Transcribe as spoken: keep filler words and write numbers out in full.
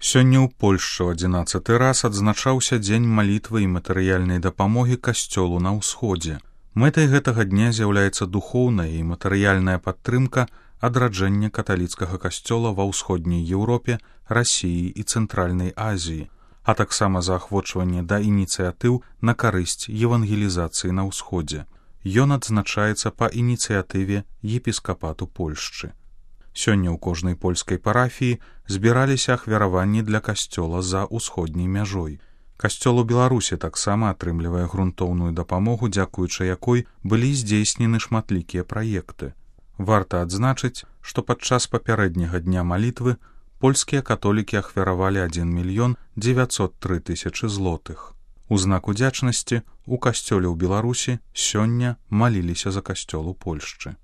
Сёння ў Польшчы ў адзінаццаты раз адзначаўся дзень малітвы і матэрыяльнай дапамогі касцёлу на ўсходзе. Мэтай гэтага дня з'яўляецца духоўная і матэрыяльная падтрымка адраджэння каталіцкага касцёла ва ўсходняй Еўропе, Расіі і Цэнтральнай Азіі, а таксама заахвочванне да ініцыятыў на карысць евангелізацыі на ўсходзе. Ён адзначаецца па ініцыятыве епіскапату Польшчы. Сёння ў кожнай польскай парафіі збіраліся ахвяраванні для касцёла за ўсходняй мяжой. Касцёл у Беларусі таксама атрымлівае грунтоўную дапамогу, дзякуючы якой былі здзейснены шматлікія праекты. Варта адзначыць, што падчас папярэдняга дня малітвы польскія католікі ахвяравалі адзін мільён дзевяцьсот тры тысячы злотых. У знак удзячнасці у касцёле ў Беларусі сёння маліліся за касцёл у Польшчы.